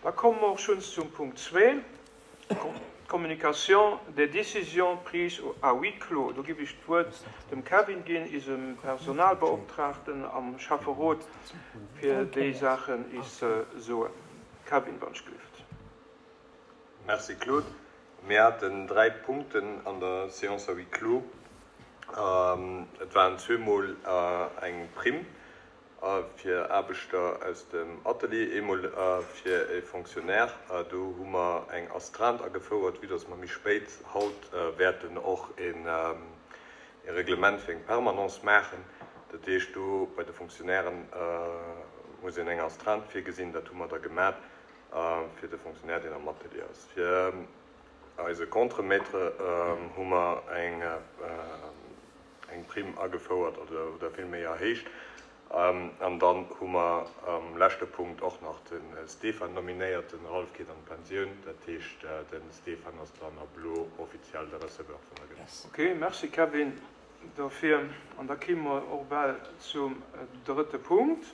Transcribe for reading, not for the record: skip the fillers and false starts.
Da komme mer och schonns zum Punkt zwee, Communication des décisions prises à huis clos. Do giff ech d'Wuert dem Kevin ginn, isem Personalbeoptraagten am Schäfferot, fir déi Saachen is ze soen. Kevin, wann ech gelift. Merci Claude. Mir haten 3 Punkten an der Séance à huis clos. Et waren zweemol eng Primm fir Aarbechter aus dem Atelier, eemol fir e Fonctionnaire. Do hu mer eng Astreinte agefouert, vue dass mer méi spéit haut wäerten och e Reglement fir eng Permanence maachen. Dat heescht, do bei de Fonctionnairen muss een eng Astreinte virgesinn. Dat hu mer da gemat fir de Fonctionnaire, deen am Atelier ass. Fir eise Contremaître hu mer eng. eng Primm agefouert oder villméi erhéicht. An dann hu mer am leschte Punkt och nach de Stefan nominéiert. Den Ralph geet an d'Pensioun, dat heescht de Stefan ass dann ab elo offiziell de Receveur vun der Gemeng. Ok, merci Kevin dofir. An da kimme mer och bal zum drëtte Punkt.